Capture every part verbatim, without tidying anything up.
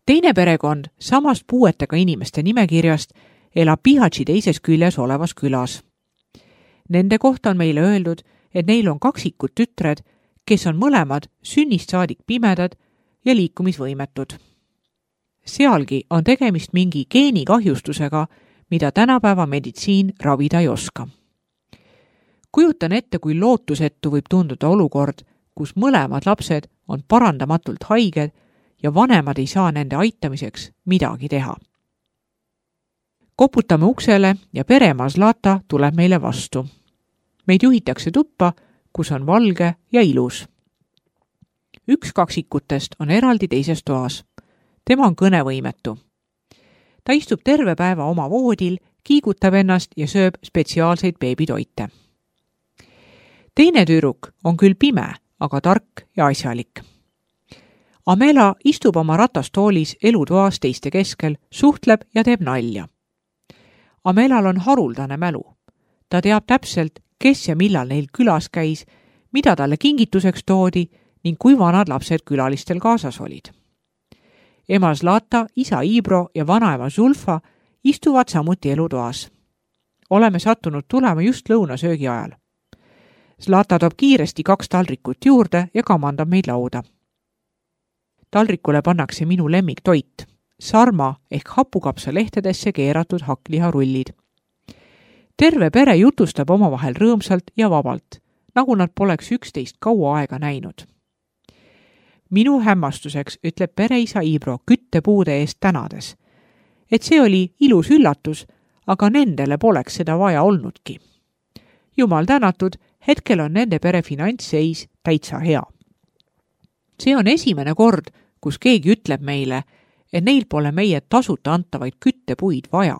Teine perekond samast puuetega inimeste nimekirjast elab Pihatši teises küljes olevas külas. Nende kohta on meile öeldud, et neil on kaksikud tütred, kes on mõlemad sünnist saadik pimedad ja liikumisvõimetud. Sealgi on tegemist mingi geenikahjustusega, mida tänapäeva meditsiin ravida ei oska. Kujutan ette, kui lootusetu võib tunduda olukord, kus mõlemad lapsed on parandamatult haiged ja vanemad ei saa nende aitamiseks midagi teha. Koputame uksele ja pereema Zlata tuleb meile vastu. Meid juhitakse tuppa, kus on valge ja ilus. Üks kaksikutest on eraldi teises toas. Tema on kõnevõimetu. Ta istub terve päeva oma voodil, kiigutab ennast ja sööb spetsiaalseid beebitoite. Teine tüdruk on küll pime, aga tark ja asjalik. Amela istub oma ratastoolis elutoas teiste keskel, suhtleb ja teeb nalja. Amelal on haruldane mälu. Ta teab täpselt, kes ja millal neil külas käis, mida talle kingituseks toodi ning kui vanad lapsed külalistel kaasas olid. Ema Zlata, isa Ibro ja vanaema Zulfa istuvad samuti elutoas. Oleme sattunud tulema just lõunasöögi ajal. Zlata toob kiiresti kaks taldrikut juurde ja kamandab meid lauda. Taldrikule pannakse minu lemmiktoit, sarma ehk hapukapsa lehtedesse keeratud hakkliharullid. Terve pere jutustab omavahel rõõmsalt ja vabalt, nagu nad poleks üksteist kaua aega näinud. Minu hämmastuseks ütleb pereisa Ibro küttepuude eest tänades, et see oli ilus üllatus, aga nendele poleks seda vaja olnudki. Jumal tänatud, hetkel on nende pere finantsseis täitsa hea. See on esimene kord, kus keegi ütleb meile, et neil pole meie tasuta antavaid küttepuid vaja.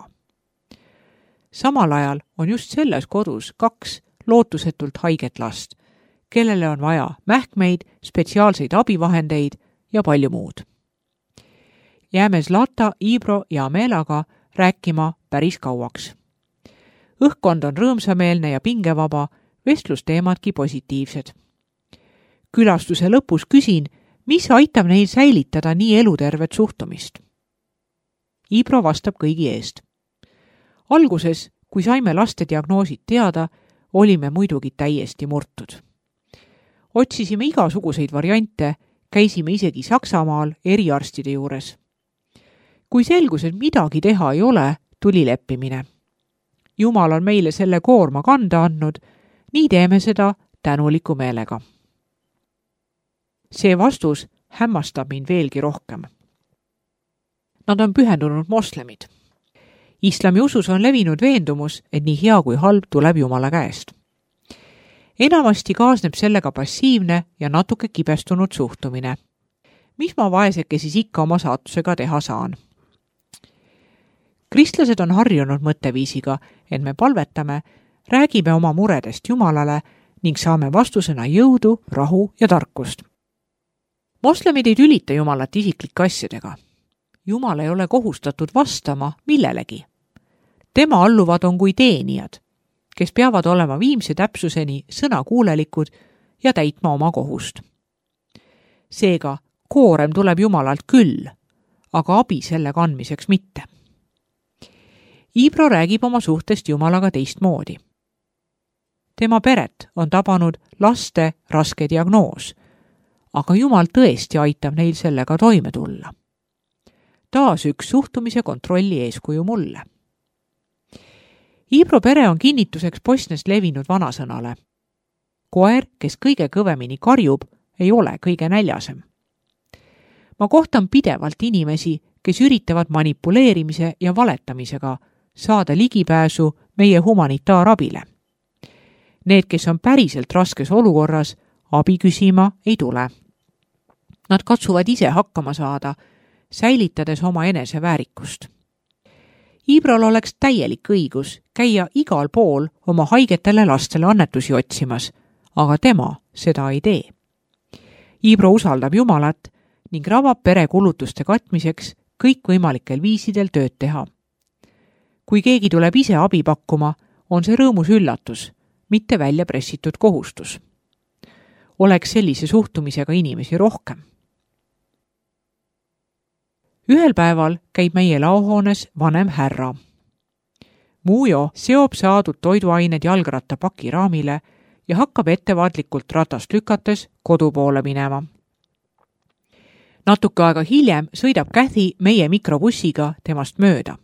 Samal ajal on just selles kodus kaks lootusetult haiget last, kellele on vaja mähkmeid, spetsiaalseid abivahendeid ja palju muud. Jääme Zlata, Ibro ja Amelaga rääkima päris kauaks. Õhkkond on rõõmsameelne ja pingevaba, vestlusteemadki positiivsed. Külastuse lõpus küsin, mis aitab neil säilitada nii elutervet suhtumist. Ibro vastab kõigi eest. Alguses, kui saime laste diagnoosid teada, olime muidugi täiesti murtud. Otsisime igasuguseid variante, käisime isegi Saksamaal eriarstide juures. Kui selgus, et midagi teha ei ole, tuli leppimine. Jumal on meile selle koorma kanda andnud, nii teeme seda tänuliku meelega. See vastus hämmastab mind veelgi rohkem. Nad on pühendunud moslemid. Islami usus on levinud veendumus, et nii hea kui halb tuleb Jumala käest. Enamasti kaasneb sellega passiivne ja natuke kibestunud suhtumine. Mis ma vaeseke siis ikka oma saatusega teha saan? Kristlased on harjunud mõtteviisiga, et me palvetame, räägime oma muredest Jumalale ning saame vastusena jõudu, rahu ja tarkust. Moslemid ei tülita Jumalat isiklike asjadega. Jumal ei ole kohustatud vastama millelegi. Tema alluvad on kui teenijad, kes peavad olema viimse täpsuseni sõnakuulelikud ja täitma oma kohust. Seega, koorem tuleb Jumalalt küll, aga abi selle kandmiseks mitte. Ibro räägib oma suhtest Jumalaga teistmoodi. Tema peret on tabanud laste raske diagnoos, aga Jumal tõesti aitab neil sellega toime tulla. Taas üks suhtumise kontrolli eeskuju mulle. Ibro pere on kinnituseks Bosnias levinud vanasõnale. Koer, kes kõige kõvemini karjub, ei ole kõige näljasem. Ma kohtan pidevalt inimesi, kes üritavad manipuleerimise ja valetamisega saada ligipääsu meie humanitaarabile. Need, kes on päriselt raskes olukorras, abi küsima ei tule. Nad katsuvad ise hakkama saada, säilitades oma enese väärikust. Ibrol oleks täielik õigus käia igal pool oma haigetele lastele annetusi otsimas, aga tema seda ei tee. Ibro usaldab Jumalat ning ravab pere kulutuste katmiseks kõikvõimalikel viisidel tööd teha. Kui keegi tuleb ise abi pakkuma, on see rõõmus üllatus, mitte välja pressitud kohustus. Oleks sellise suhtumisega inimesi rohkem. Ühel päeval käib meie laohoones vanem härra. Mujo seob saadud toiduained jalgrattapaki raamile ja hakkab ettevaatlikult ratast lükates kodu poole minema. Natuke aega hiljem sõidab Kathy meie mikrobussiga temast mööda.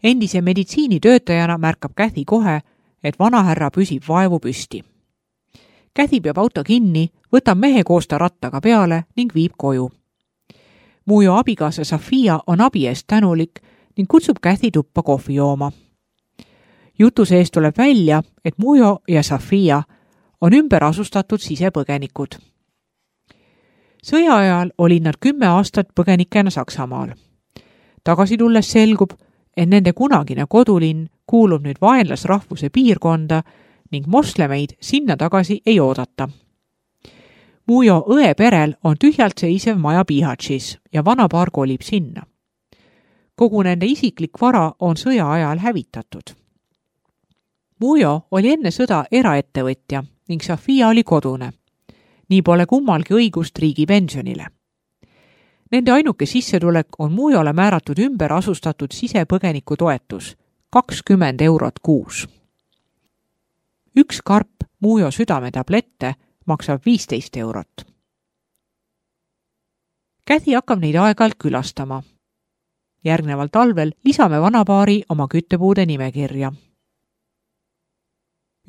Endise meditsiinitöötajana märkab Kathy kohe, et vanahärra püsib vaevu püsti. Kathy peab auto kinni, võtab mehe koos ta rattaga peale ning viib koju. Mujo abikaasa Sofia on abi eest tänulik ning kutsub Kathy tuppa kohvi jooma. Jutu sees tuleb välja, et Mujo ja Sofia on ümber asustatud sisepõgenikud. Sõja ajal olid nad kümme aastat põgenikena Saksamaal. Tagasi tulles selgub, et nende kunagine kodulinn kuulub nüüd vaenlasrahvuse piirkonda ning moslemeid sinna tagasi ei oodata. Mujo õe perel on tühjalt seisev maja Bihatšis ja vanapaar kolib sinna. Kogu nende isiklik vara on sõja ajal hävitatud. Mujo oli enne sõda eraettevõtja ning Sofia oli kodune. Nii pole kummalgi õigust riigi pensionile. Nende ainuke sissetulek on Mujole määratud ümber asustatud sisepõgeniku toetus, kakskümmend eurot kuus. Üks karp Mujo südametablette maksab viisteist eurot. Kathy hakkab neid aeg-ajalt külastama. Järgneval talvel lisame vanapaari oma küttepuude nimekirja.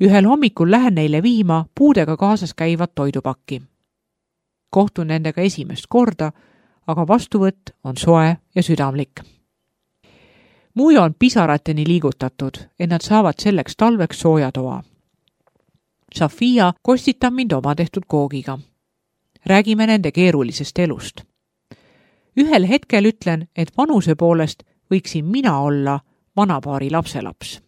Ühel hommikul lähen neile viima puudega kaasas käivat toidupakki. Kohtun nendega esimest korda, aga vastuvõtt on soe ja südamlik. Mujo on pisarateni liigutatud, et nad saavad selleks talveks soojatoa. Sofia kostitab mind oma tehtud koogiga. Räägime nende keerulisest elust. Ühel hetkel ütlen, et vanuse poolest võiksin mina olla vanapaari lapselaps.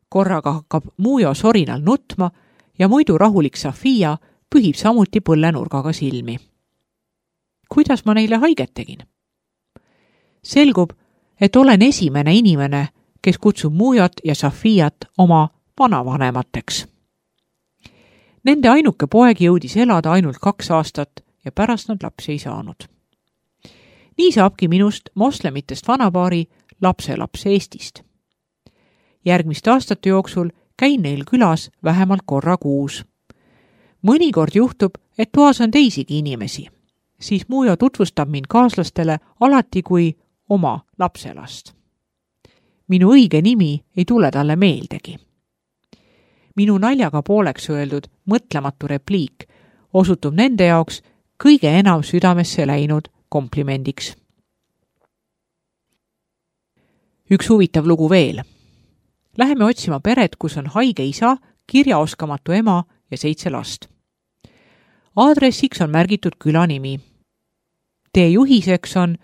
Korraga hakkab Mujo sorinal nutma ja muidu rahulik Sofia pühib samuti põllenurgaga silmi. Kuidas ma neile haiget tegin? Selgub, et olen esimene inimene, kes kutsub Mujot ja Sofiat oma vanavanemateks. Nende ainuke poeg jõudis elada ainult kaks aastat ja pärast nad lapsi ei saanud. Nii saabki minust moslemitest vanapaari lapselaps Eestist. Järgmiste aastate jooksul käin neil külas vähemalt korra kuus. Mõnikord juhtub, et toas on teisigi inimesi. Siis Mujo tutvustab mind kaaslastele alati kui oma lapselast. Minu õige nimi ei tule talle meeldegi. Minu naljaga pooleks öeldud mõtlematu repliik osutub nende jaoks kõige enam südamesse läinud komplimendiks. Üks huvitav lugu veel. Läheme otsima peret, kus on haige isa, kirjaoskamatu ema ja seitse last. Aadressiks on märgitud külanimi. Tee juhiseks on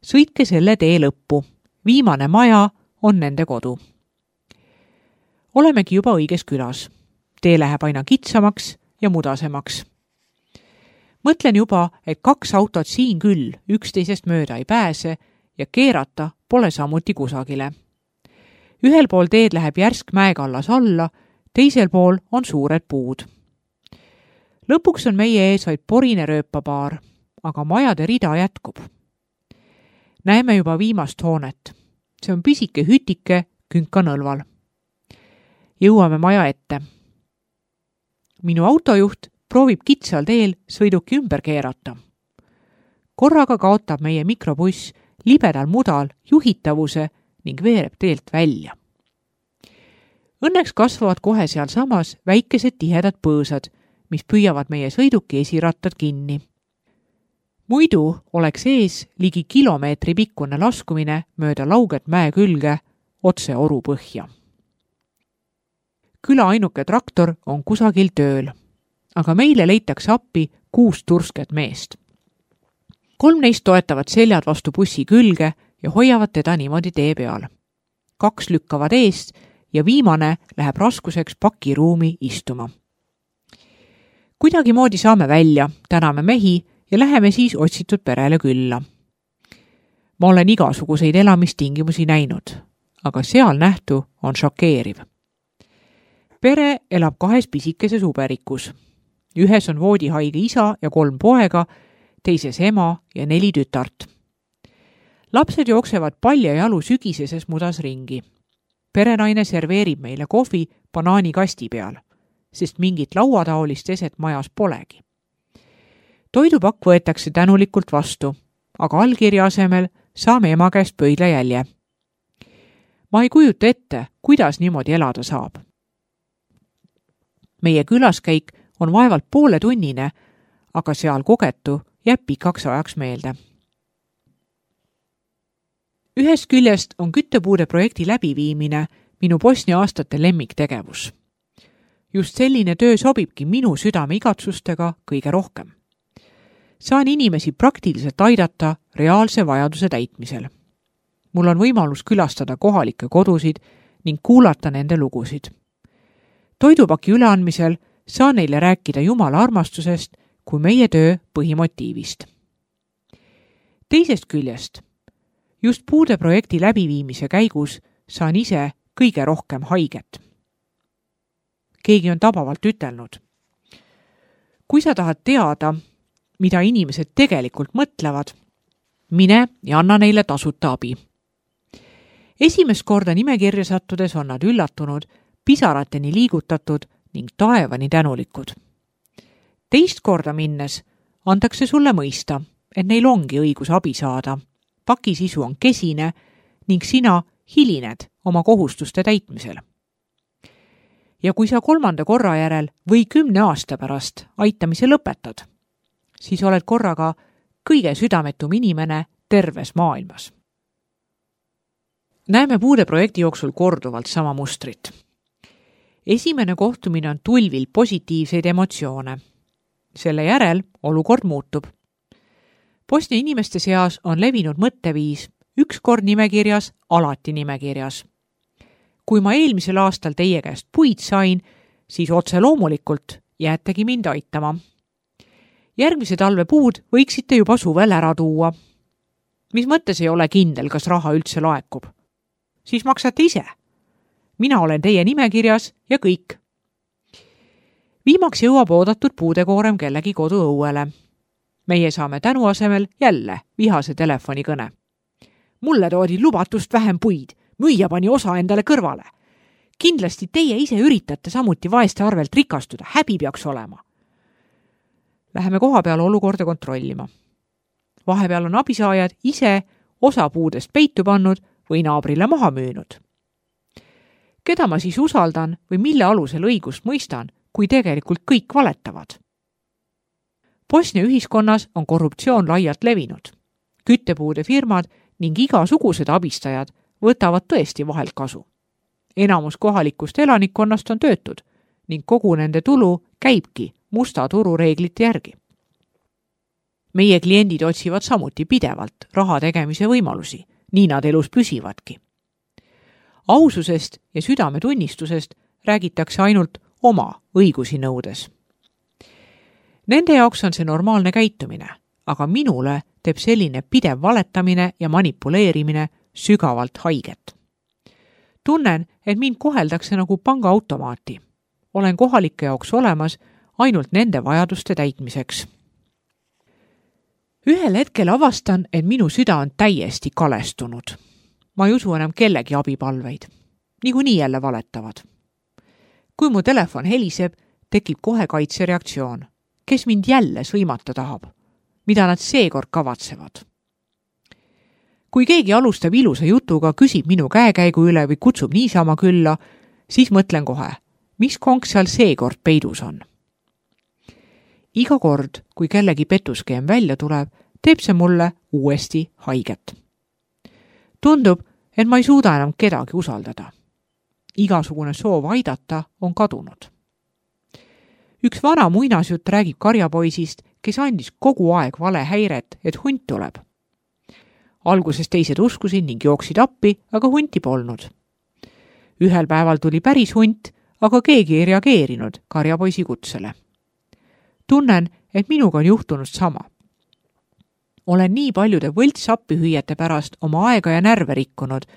sõitke selle tee lõppu. Viimane maja on nende kodu. Olemegi juba õiges külas. Tee läheb aina kitsamaks ja mudasemaks. Mõtlen juba, et kaks autot siin küll üksteisest mööda ei pääse ja keerata pole samuti kusagile. Ühel pool teed läheb järsk mäekallas alla, teisel pool on suured puud. Lõpuks on meie ees vaid porine rööpapaar, aga majade rida jätkub. Näeme juba viimast hoonet. See on pisike hütike künkanõlval. Jõuame maja ette. Minu autojuht proovib kitsal teel sõiduki ümber keerata. Korraga kaotab meie mikrobuss libedal mudal juhitavuse ning veereb teelt välja. Õnneks kasvavad kohe seal samas väikesed tihedad põõsad, mis püüavad meie sõiduki esirattad kinni. Muidu oleks ees ligi kilomeetri pikkune laskumine mööda lauget mäe külge otse oru põhja. Küla ainuke traktor on kusagil tööl, aga meile leitakse appi kuus tursket meest. Kolm neist toetavad seljad vastu bussi külge ja hoiavad teda niimoodi tee peal. Kaks lükkavad eest ja viimane läheb raskuseks pakiruumi istuma. Kuidagi moodi saame välja, täname mehi ja läheme siis otsitud perele külla. Ma olen igasuguseid elamistingimusi näinud, aga seal nähtu on šokeeriv. Pere elab kahes pisikeses uberikus. Ühes on voodihaige isa ja kolm poega, teises ema ja neli tütart. Lapsed jooksevad palja jalu sügiseses mudas ringi. Perenaine serveerib meile kohvi banaanikasti peal, sest mingit lauataolist eset majas polegi. Toidupakk võetakse tänulikult vastu, aga allkirja asemel saame ema käest pöidlajälje. Ma ei kujuta ette, kuidas niimoodi elada saab. Meie külaskäik on vaevalt poole tunnine, aga seal kogetu jääb pikaks ajaks meelde. Ühest küljest on küttepuude projekti läbiviimine minu Bosnia aastate lemmiktegevus. Just selline töö sobibki minu südame igatsustega kõige rohkem. Saan inimesi praktiliselt aidata reaalse vajaduse täitmisel. Mul on võimalus külastada kohalikke kodusid ning kuulata nende lugusid. Toidupaki üleandmisel saan neile rääkida Jumala armastusest kui meie töö põhimotiivist. Teisest küljest, just puude projekti läbiviimise käigus saan ise kõige rohkem haiget. Keegi on tabavalt ütelnud. Kui sa tahad teada, mida inimesed tegelikult mõtlevad, mine ja anna neile tasuta abi. Esimest korda nimekirja sattudes on nad üllatunud, pisarateni liigutatud ning taevani tänulikud. Teist korda minnes antakse sulle mõista, et neil ongi õigus abi saada. Paki sisu on kesine ning sina hilined oma kohustuste täitmisel. Ja kui sa kolmanda korra järel või kümne aasta pärast aitamise lõpetad, siis oled korraga kõige südametum inimene terves maailmas. Näeme puude projekti jooksul korduvalt sama mustrit. Esimene kohtumine on tulvil positiivseid emotsioone. Selle järel olukord muutub. Bosnia inimeste seas on levinud mõtteviis, üks kord nimekirjas, alati nimekirjas. Kui ma eelmisel aastal teie käest puid sain, siis otse loomulikult jäätegi mind aitama. Järgmise talve puud võiksite juba suvel ära tuua. Mis mõttes ei ole kindel, kas raha üldse laekub? Siis maksate ise. Mina olen teie nimekirjas ja kõik. Viimaks jõuab oodatud puudekoorem kellegi kodu õuele. Meie saame tänu asemel jälle vihase telefonikõne. Mulle toodi lubatust vähem puid, müüja pani osa endale kõrvale. Kindlasti teie ise üritate samuti vaeste arvelt rikastuda, häbi peaks olema. Läheme koha peal olukorda kontrollima. Vahepeal on abisaajad ise osa puudest peitu pannud või naabrile maha müünud. Keda ma siis usaldan või mille alusel õigust mõistan, kui tegelikult kõik valetavad? Bosnia ühiskonnas on korruptsioon laialt levinud. Küttepuude firmad ning igasugused abistajad võtavad tõesti vahelt kasu. Enamus kohalikust elanikkonnast on töötud ning kogu nende tulu käibki musta turu reeglite järgi. Meie kliendid otsivad samuti pidevalt raha tegemise võimalusi, nii nad elus püsivadki. Aususest ja südametunnistusest räägitakse ainult oma õigusi nõudes. Nende jaoks on see normaalne käitumine, aga minule teeb selline pidev valetamine ja manipuleerimine sügavalt haiget. Tunnen, et mind koheldakse nagu pangaautomaati. Olen kohalike jaoks olemas ainult nende vajaduste täitmiseks. Ühel hetkel avastan, et minu süda on täiesti kalestunud. Ma ei usu enam kellegi abipalveid. Niikuinii jälle valetavad. Kui mu telefon heliseb, tekib kohe kaitsereaktsioon. Kes mind jälle sõimata tahab? Mida nad seekord kavatsevad? Kui keegi alustab ilusa jutuga, küsib minu käekäigu üle või kutsub niisama külla, siis mõtlen kohe, mis konk seal seekord peidus on. Iga kord, kui kellegi petuskeem välja tuleb, teeb see mulle uuesti haiget. Tundub, et ma ei suuda enam kedagi usaldada. Igasugune soov aidata on kadunud. Üks vana muinasjutt räägib karjapoisist, kes andis kogu aeg vale häiret, et hunt tuleb. Alguses teised uskusid ning jooksid appi, aga hunti polnud. Ühel päeval tuli päris hunt, aga keegi ei reageerinud karjapoisi kutsele. Tunnen, et minuga on juhtunud sama. Olen nii paljude võltsappihüüjate pärast oma aega ja närve rikkunud,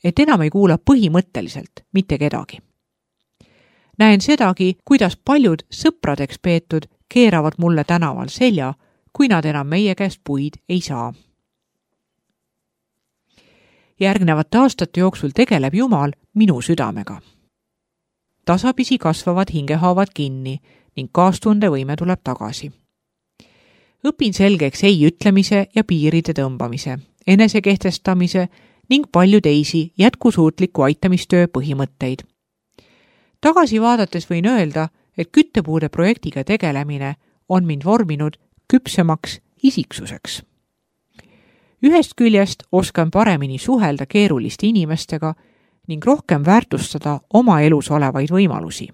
et enam ei kuula põhimõtteliselt mitte kedagi. Näen sedagi, kuidas paljud sõpradeks peetud keeravad mulle tänaval selja, kui nad enam meie käest puid ei saa. Järgnevate aastate jooksul tegeleb Jumal minu südamega. Tasapisi kasvavad hingehaavad kinni ning kaastundevõime tuleb tagasi. Õpin selgeks ei ütlemise ja piiride tõmbamise, enesekehtestamise ning palju teisi jätkusuutliku aitamistöö põhimõtteid. Tagasi vaadates võin öelda, et küttepuude projektiga tegelemine on mind vorminud küpsemaks isiksuseks. Ühest küljest oskan paremini suhelda keeruliste inimestega ning rohkem väärtustada oma elus olevaid võimalusi.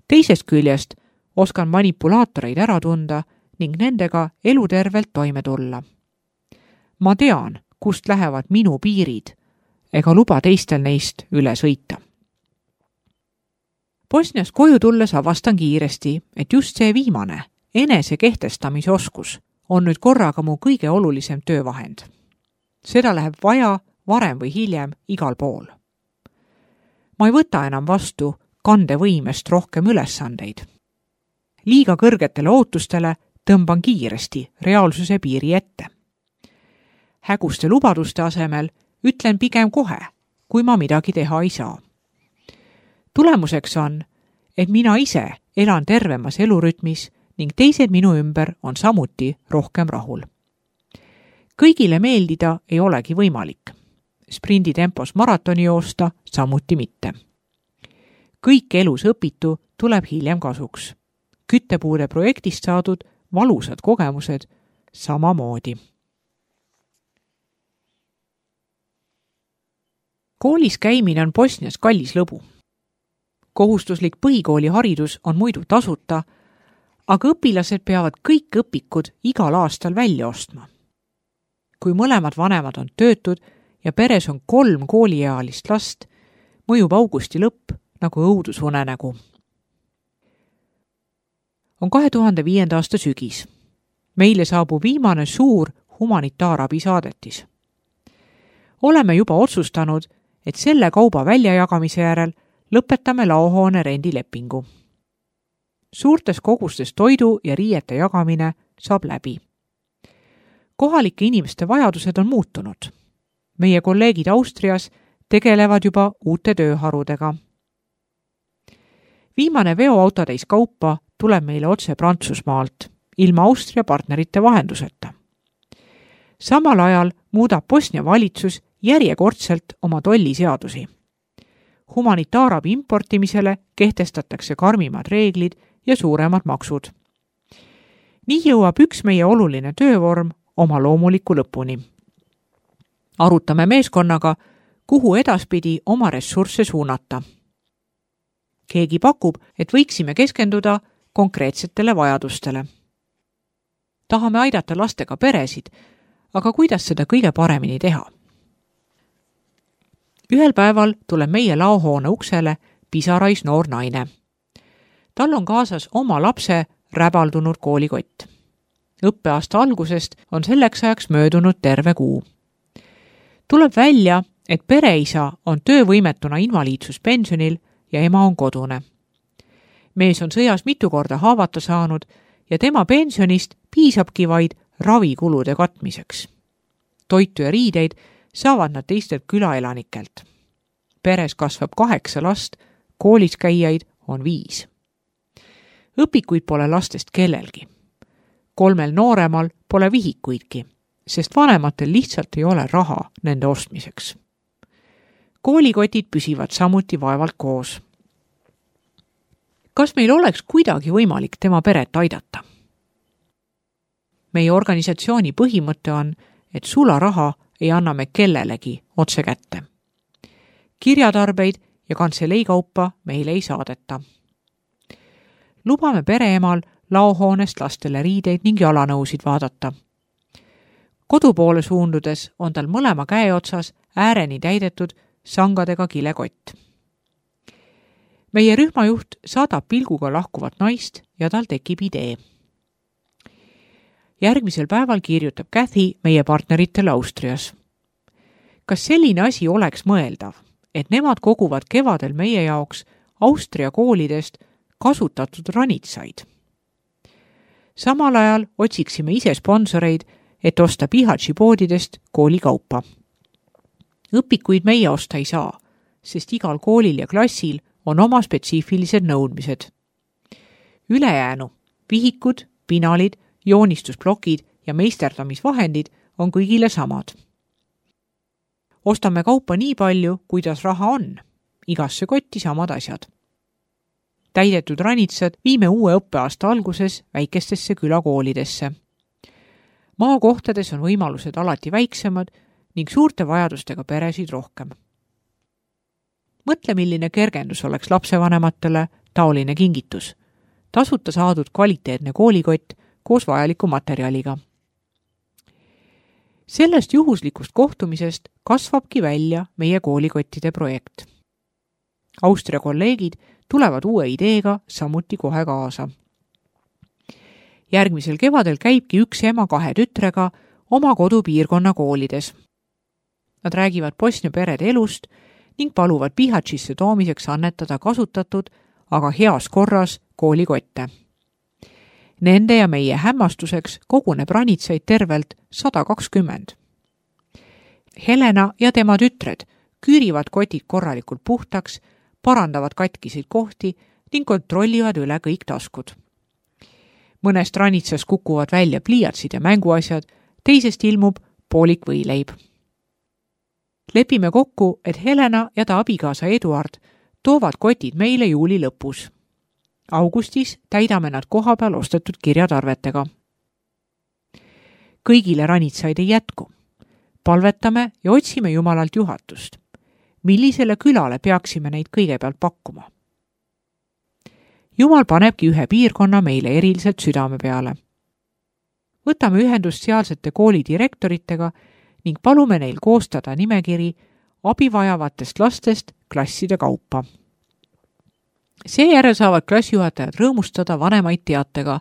Teisest küljest oskan manipulaatoreid ära tunda ning nendega elutervelt toime tulla. Ma tean, kust lähevad minu piirid, ega luba teistel neist üle sõita. Bosnias koju tulles avastan kiiresti, et just see viimane, enese kehtestamise oskus, on nüüd korraga mu kõige olulisem töövahend. Seda läheb vaja varem või hiljem igal pool. Ma ei võta enam vastu kandevõimest rohkem ülesandeid. Liiga kõrgetele ootustele tõmban kiiresti reaalsuse piiri ette. Häguste lubaduste asemel ütlen pigem kohe, kui ma midagi teha ei saa. Tulemuseks on, et mina ise elan tervemas elurütmis ning teised minu ümber on samuti rohkem rahul. Kõigile meeldida ei olegi võimalik. Sprinditempos maratoni joosta samuti mitte. Kõik elus õpitu tuleb hiljem kasuks. Küttepuude projektist saadud valusad kogemused samamoodi. Koolis käimine on Bosnias kallis lõbu. Kohustuslik põhikooli haridus on muidu tasuta, aga õpilased peavad kõik õpikud igal aastal välja ostma. Kui mõlemad vanemad on töötud ja peres on kolm kooliealist last, mõjub augusti lõpp nagu õudusunenägu. On kahe tuhande viienda aasta sügis. Meile saabub viimane suur humanitaarabi saadetis. Oleme juba otsustanud, et selle kauba väljajagamise järel lõpetame laohoone rendilepingu. Suurtes kogustes toidu ja riiete jagamine saab läbi. Kohalike inimeste vajadused on muutunud. Meie kolleegid Austrias tegelevad juba uute tööharudega. Viimane veoautotäis kaupa tuleb meile otse Prantsusmaalt, ilma Austria partnerite vahenduseta. Samal ajal muudab Bosnia valitsus järjekordselt oma tolliseadusi. Humanitaarabi importimisele kehtestatakse karmimad reeglid ja suuremad maksud. Nii jõuab üks meie oluline töövorm oma loomuliku lõpuni. Arutame meeskonnaga, kuhu edaspidi oma ressursse suunata. Keegi pakub, et võiksime keskenduda konkreetsetele vajadustele. Tahame aidata lastega peresid, aga kuidas seda kõige paremini teha? Ühel päeval tuleb meie laohoone uksele pisarais noor naine. Tal on kaasas oma lapse räbaldunud koolikott. Õppeaasta algusest on selleks ajaks möödunud terve kuu. Tuleb välja, et pereisa on töövõimetuna invaliidsuspensionil ja ema on kodune. Mees on sõjas mitu korda haavata saanud ja tema pensionist piisabki vaid ravikulude katmiseks. Toitu ja riideid saavad nad teistelt külaelanikelt. Peres kasvab kaheksa last, koolis käijaid on viis. Õpikuid pole lastest kellelgi. Kolmel nooremal pole vihikuidki, sest vanematel lihtsalt ei ole raha nende ostmiseks. Koolikotid püsivad samuti vaevalt koos. Kas meil oleks kuidagi võimalik tema peret aidata? Meie organisatsiooni põhimõte on, et sularaha ei anna me kellelegi otse kätte. Kirjatarbeid ja kantseleikaupa meile ei saadeta. Lubame pereemal laohoonest lastele riideid ning jalanõusid vaadata. Kodu poole suundudes on tal mõlema käe otsas ääreni täidetud sangadega kilekott. Meie rühmajuht saadab pilguga lahkuvat naist ja tal tekib idee. Järgmisel päeval kirjutab Kathy meie partneritele Austrias. Kas selline asi oleks mõeldav, et nemad koguvad kevadel meie jaoks Austria koolidest kasutatud ranitsaid? Samal ajal otsiksime ise sponsoreid, et osta Pihatši poodidest koolikaupa. Õpikuid meie osta ei saa, sest igal koolil ja klassil on oma spetsiifilised nõudmised. Ülejäänu, vihikud, pinalid, joonistusplokid ja meisterdamisvahendid on kõigile samad. Ostame kaupa nii palju, kuidas raha on. Igasse kotti samad asjad. Täidetud ranitsad viime uue õppeaasta alguses väikestesse külakoolidesse. Maakohtades on võimalused alati väiksemad ning suurte vajadustega peresid rohkem. Mõtle, milline kergendus oleks lapsevanematele taoline kingitus. Tasuta saadud kvaliteetne koolikott koos vajaliku materjaliga. Sellest juhuslikust kohtumisest kasvabki välja meie koolikottide projekt. Austria kolleegid tulevad uue ideega samuti kohe kaasa. Järgmisel kevadel käibki üks ema kahe tütrega oma kodupiirkonna koolides. Nad räägivad Bosnia perede elust ning paluvad Bihaćisse toomiseks annetada kasutatud, aga heas korras koolikotte. Nende ja meie hämmastuseks koguneb ranitsaid tervelt sada kakskümmend. Helena ja tema tütred küürivad kotid korralikult puhtaks, parandavad katkiseid kohti ning kontrollivad üle kõik taskud. Mõnest ranitsas kukuvad välja pliiatsid ja mänguasjad, teisest ilmub poolik võileib. Lepime kokku, et Helena ja ta abikaasa Eduard toovad kotid meile juuli lõpus. Augustis täidame nad kohapeal ostetud kirjatarvetega. Kõigile ranitsaid ei jätku. Palvetame ja otsime Jumalalt juhatust. Millisele külale peaksime neid kõigepealt pakkuma? Jumal panebki ühe piirkonna meile eriliselt südame peale. Võtame ühendust sealsete koolidirektoritega ning palume neil koostada nimekiri abivajavatest lastest klasside kaupa. Seejärel saavad klassijuhatajad rõõmustada vanemaid teatega,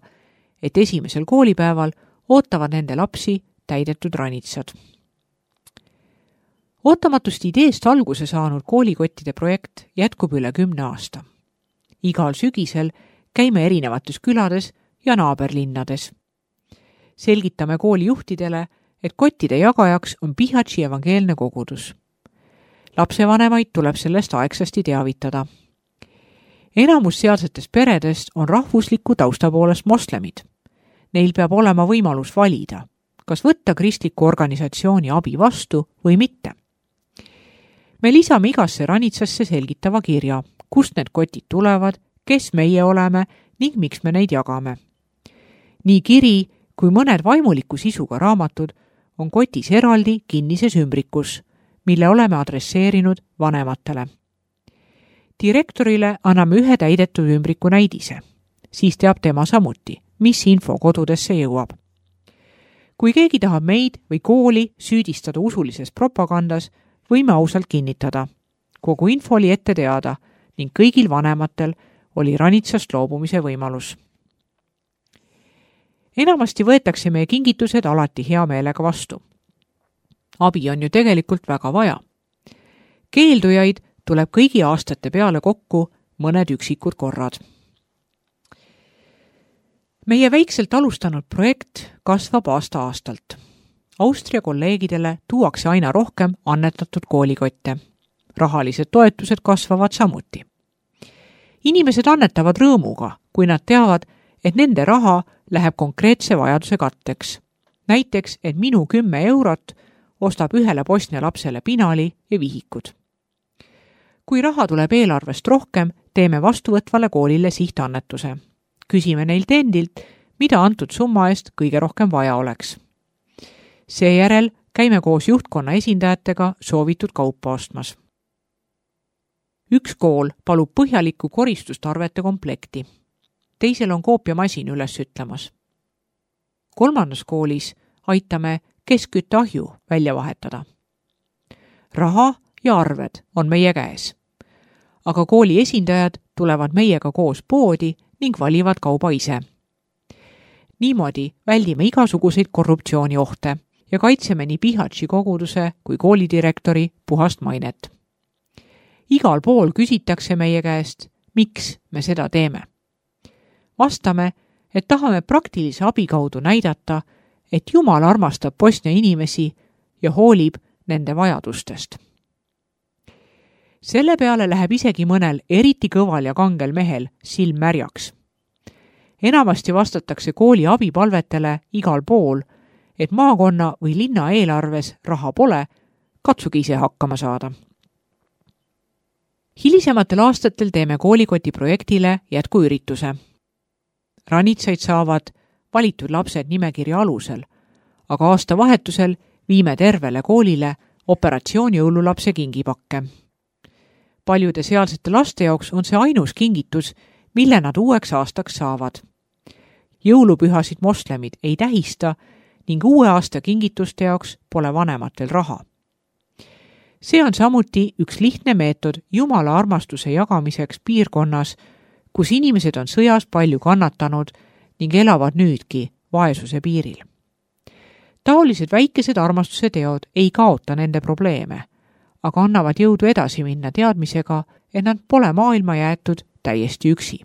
et esimesel koolipäeval ootavad nende lapsi täidetud ranitsad. Ootamatust ideest alguse saanud koolikottide projekt jätkub üle kümne aasta. Igal sügisel käime erinevates külades ja naaberlinnades. Selgitame koolijuhtidele, et kottide jagajaks on Bihaći evangeelne kogudus. Lapsevanemaid tuleb sellest aegsasti teavitada. Enamus sealsetest peredest on rahvusliku tausta poolest moslemid. Neil peab olema võimalus valida, kas võtta kristliku organisatsiooni abi vastu või mitte. Me lisame igasse ranitsasse selgitava kirja, kust need kotid tulevad, kes meie oleme ning miks me neid jagame. Nii kiri kui mõned vaimuliku sisuga raamatud on kotis eraldi kinnises ümbrikus, mille oleme adresseerinud vanematele. Direktorile anname ühe täidetud ümbriku näidise, siis teab tema samuti, mis info kodudesse jõuab. Kui keegi tahab meid või kooli süüdistada usulises propagandas, võime ausalt kinnitada. Kogu info oli ette teada ning kõigil vanematel oli ranitsast loobumise võimalus. Enamasti võetakse meie kingitused alati hea meelega vastu. Abi on ju tegelikult väga vaja. Keeldujaid tuleb kõigi aastate peale kokku mõned üksikud korrad. Meie väikselt alustanud projekt kasvab aasta-aastalt. Austria kolleegidele tuuakse aina rohkem annetatud koolikotte. Rahalised toetused kasvavad samuti. Inimesed annetavad rõõmuga, kui nad teavad, et nende raha läheb konkreetse vajaduse katteks. Näiteks, et minu kümme eurot ostab ühele Bosnia lapsele pinali ja vihikud. Kui raha tuleb eelarvest rohkem, teeme vastuvõtvale koolile sihtannetuse. Küsime neilt endilt, mida antud summa eest kõige rohkem vaja oleks. Seejärel käime koos juhtkonna esindajatega soovitud kaupa ostmas. Üks kool palub põhjalikku koristustarvete komplekti. Teisel on koopiamasin üles ütlemas. Kolmandas koolis aitame keskkütteahju välja vahetada. Raha ja arved on meie käes. Aga kooli esindajad tulevad meiega koos poodi ning valivad kauba ise. Niimoodi väldime igasuguseid korruptsiooniohte ja kaitseme nii Bihaći koguduse kui koolidirektori puhast mainet. Igal pool küsitakse meie käest, miks me seda teeme. Vastame, et tahame praktilise abi kaudu näidata, et Jumal armastab Bosnia inimesi ja hoolib nende vajadustest. Selle peale läheb isegi mõnel eriti kõval ja kangel mehel silm märjaks. Enamasti vastatakse kooli abipalvetele igal pool, et maakonna või linna eelarves raha pole, katsuge ise hakkama saada. Hilisematel aastatel teeme koolikoti projektile jätkuürituse. Ranitsaid saavad valitud lapsed nimekirja alusel, aga aasta vahetusel viime tervele koolile operatsioon jõululapse kingipakke. Paljude sealsete laste jaoks on see ainus kingitus, mille nad uueks aastaks saavad. Jõulupühasid moslemid ei tähista ning uue aasta kingituste jaoks pole vanematel raha. See on samuti üks lihtne meetod Jumala armastuse jagamiseks piirkonnas, kus inimesed on sõjas palju kannatanud ning elavad nüüdki vaesuse piiril. Taolised väikesed armastuse teod ei kaota nende probleeme, aga annavad jõudu edasi minna teadmisega, et nad pole maailma jäetud täiesti üksi.